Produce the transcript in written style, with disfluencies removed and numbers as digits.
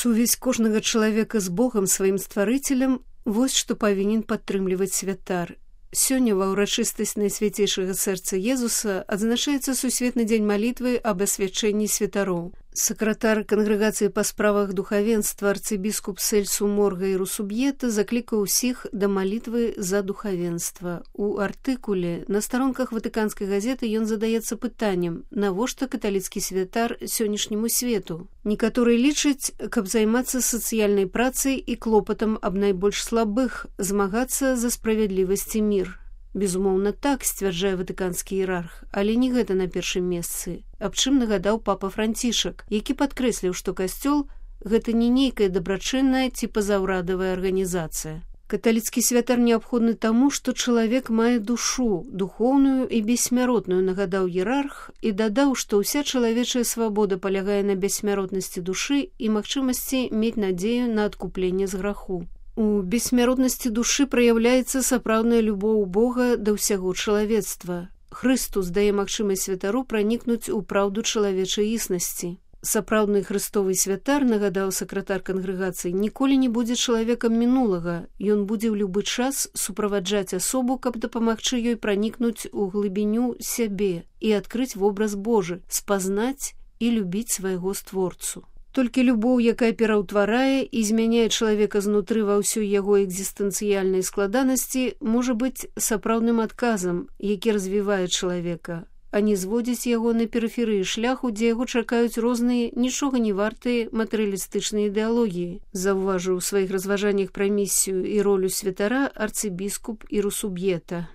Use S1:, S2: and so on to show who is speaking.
S1: Сувязь кожнага чалавека з Богам, сваім стварыцелем, вось што павінен падтрымліваць святар. Сёння ва ўрачыстасць Найсвяцейшага сэрца Езуса адзначаецца Сусветны дзень малітвы аб асвячэнні святароў. Сакратар кангрэгацыі па справах духавенства арцыбіскуп Сельсу Морга і Русуб'ета заклікаў усіх да малітвы за духавенства. У артыкуле на старонках Ватыканскай газеты ён задаецца пытаннем, навошта каталіцкі святар сённяшняму свету. Некаторыя лічаць, каб займацца сацыяльнай працай і клопатам аб найбольш слабых, змагацца за справядлівасць і мір. Безумоўна, так, сцвярджае ватыканскі іерарх, але не гэта на першым месцы, аб чым нагадаў папа Францішак, які падкрэсліў, што касцёл – гэта не нейкая дабрачынная ці пазаўрадавая арганізацыя. Каталіцкі святар неабходны таму, што чалавек мае душу, духоўную і бессмяротную, нагадаў іерарх, і дадаў, што ўся чалавечая свабода палягае на бессмяротнасці душы і магчымасці мець надзею на адкупленне з граху. У бессмяротнасці душы праяўляецца сапраўдная любоў Бога да ўсяго чалавецтва. Хрыстус дае магчымасць святару пранікнуць у праўду чалавечай існасці. Сапраўдны хрыстовы святар, нагадаў сакратар кангрэгацыі, ніколі не будзе чалавекам мінулага. Ён будзе ў любы час суправаджаць асобу, каб дапамагчы ёй пранікнуць у глыбіню сябе і адкрыць вобраз Божы, спазнаць і любіць свайго створцу. Толькі любоў, якая пераўтварае і змяняе чалавека знутры ва ўсёй яго экзістэнцыяльнай складанасці, можа быць сапраўдным адказам, які развівае чалавека, а не зводзіць яго на перыферыі шляху, дзе яго чакаюць розныя, нічога не вартыя матэрыялістычныя ідэалогіі, заўважыў у сваіх разважаннях пра місію і ролю святара арцыбіскуп і Русуб'ета.